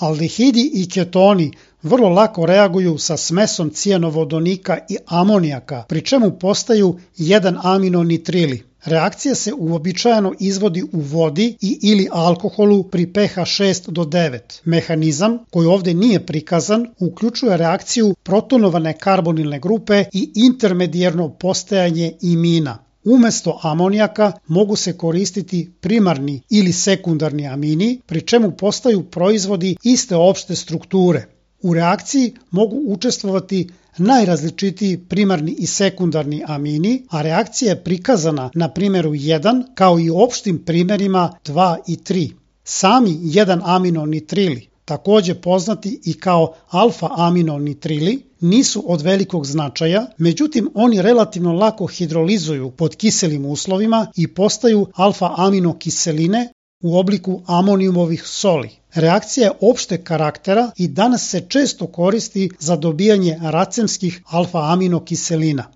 Aldehidi i ketoni vrlo lako reaguju sa smesomcijanovodonika i amonijaka, pri čemu postaju 1-aminonitrili. Reakcija se uobičajeno izvodi u vodi i ili alkoholu pri pH 6 do 9. Mehanizam, koji ovdje nije prikazan, uključuje reakciju protonovane karbonilne grupe i intermedijerno postajanje imina. Umesto amonijaka mogu se koristiti primarni ili sekundarni amini, pri čemu postaju proizvodi iste opšte strukture. U reakciji mogu učestvovati najrazličitiji primarni i sekundarni amini, a reakcija je prikazana na primjeru 1 kao i opštim primjerima 2 i 3. Sami 1-aminonitrili, također poznati i kao alfa-aminonitrili, nisu od velikog značaja, međutim oni relativno lako hidrolizuju pod kiselim uslovima i postaju alfa-aminokiseline u obliku amonijumovih soli. Reakcija je opšteg karaktera i danas se često koristi za dobijanje racemskih alfa-aminokiselina.